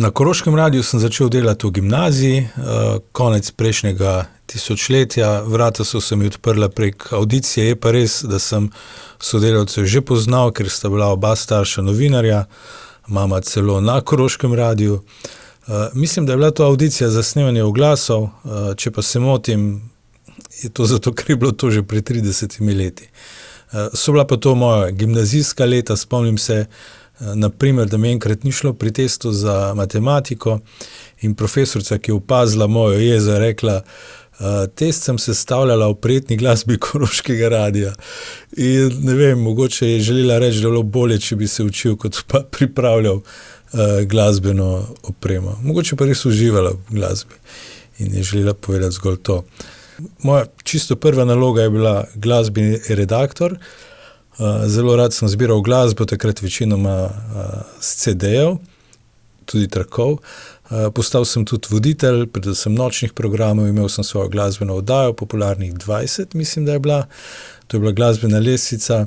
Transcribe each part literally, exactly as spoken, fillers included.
Na Koroškem radiu sem začel delati v gimnaziji, konec prejšnjega tisočletja, vrata so se mi odprla prek avdicije, je pa res, da sem sodelavce že poznal, ker sta bila oba starša novinarja, mama celo na Koroškem radiu. Mislim, da je bila to avdicija za snemanje oglasov, če pa se motim, je to zato, ker je bilo to že pred tridesetimi leti. So bila pa to moja gimnazijska leta, spomnim se, na primer, da mi enkrat ni šlo pri testu za matematiko in profesorica, ki je opazila mojo jezo, je rekla, test sem sestavljala v prijetni glasbi Koroškega radia. In ne vem, mogoče je želela reči, da je bilo bolje, če bi se učil, kot pa pripravljal glasbeno opremo. Mogoče pa res uživala v glasbi in je želela povedati zgolj to. Moja čisto prva naloga je bila glasbeni redaktor. Zelo rad sem zbiral glasbo, takrat večinoma s ce dejev, tudi trakov. Postal sem tudi voditelj, predvsem nočnih programov, imel sem svojo glasbeno oddajo, Popularnih dvajset, mislim, da je bila. To je bila glasbena lestvica.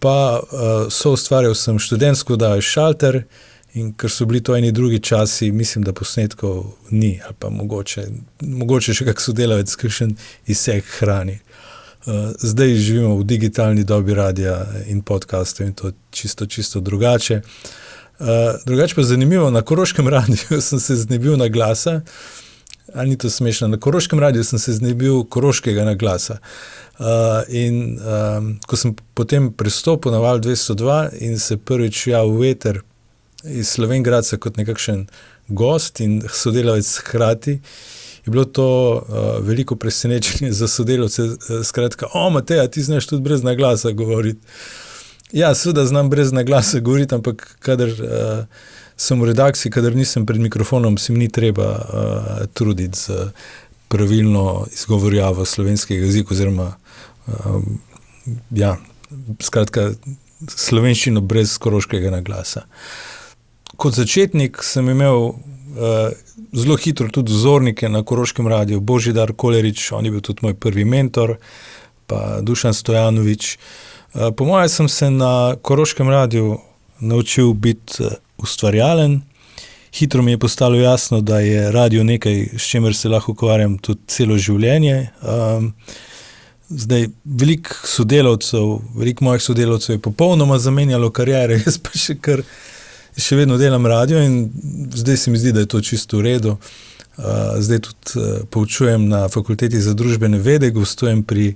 Pa soustvarjal sem študentsko oddajo Šalter in ker so bili to eni drugi časi, mislim, da posnetkov ni, ali pa mogoče, mogoče še kak sodelavec, kakšen izsek hrani. Zdaj živimo v digitalni dobi radia in podcastov in to čisto, čisto drugače. Drugače pa zanimivo, na Koroškem radiju sem se znebil naglasa, ali ni to smešno, na Koroškem radiju sem se znebil koroškega naglasa. In ko sem potem prestopil na Val dvesto dva in se prvič javil v eter iz Slovenj Gradca kot nekakšen gost in sodelavec hkrati, je bilo to uh, veliko presenečenje za sodelavce, uh, skratka, o, Mateja, ti znaš tudi brez naglasa govoriti. Ja, seveda znam brez naglasa govoriti, ampak kadar uh, sem v redakciji, kadar nisem pred mikrofonom, se mi ni treba uh, truditi z pravilno izgovorjavo slovenskega jezika, oziroma, uh, ja, skratka, slovenščino brez koroškega naglasa. Kot začetnik sem imel uh, zelo hitro tudi vzornike na Koroškem radiu, Božidar Kolerič, on je bil tudi moj prvi mentor, pa Dušan Stojanovič. Uh, po moje sem se na Koroškem radiu naučil biti uh, ustvarjalen. Hitro mi je postalo jasno, da je radio nekaj, s čimer se lahko ukvarjam tudi celo življenje. Um, zdaj, veliko sodelavcev, veliko mojih sodelavcev je popolnoma zamenjalo kariere, jaz pa še kar še vedno delam radio in zdaj se mi zdi, da je to čisto v redu. Zdaj tudi poučujem na Fakulteti za družbene vede, gostujem pri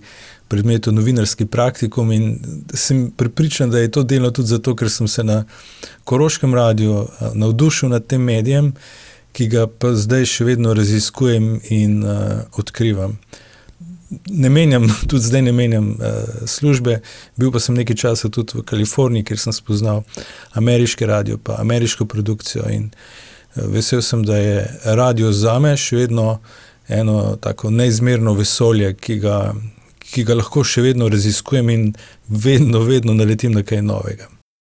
predmetu novinarski praktikum in sem prepričan, da je to delno tudi zato, ker sem se na Koroškem radiu navdušil nad tem medijem, ki ga pa zdaj še vedno raziskujem in uh, odkrivam. Ne menjam, tudi zdaj ne menjam uh, službe, bil pa sem nekaj časa tudi v Kaliforniji, kjer sem spoznal ameriški radio, pa ameriško produkcijo in uh, vesel sem, da je radio zame še vedno eno tako neizmerno vesolje, ki ga, ki ga lahko še vedno raziskujem in vedno, vedno naletim na kaj novega.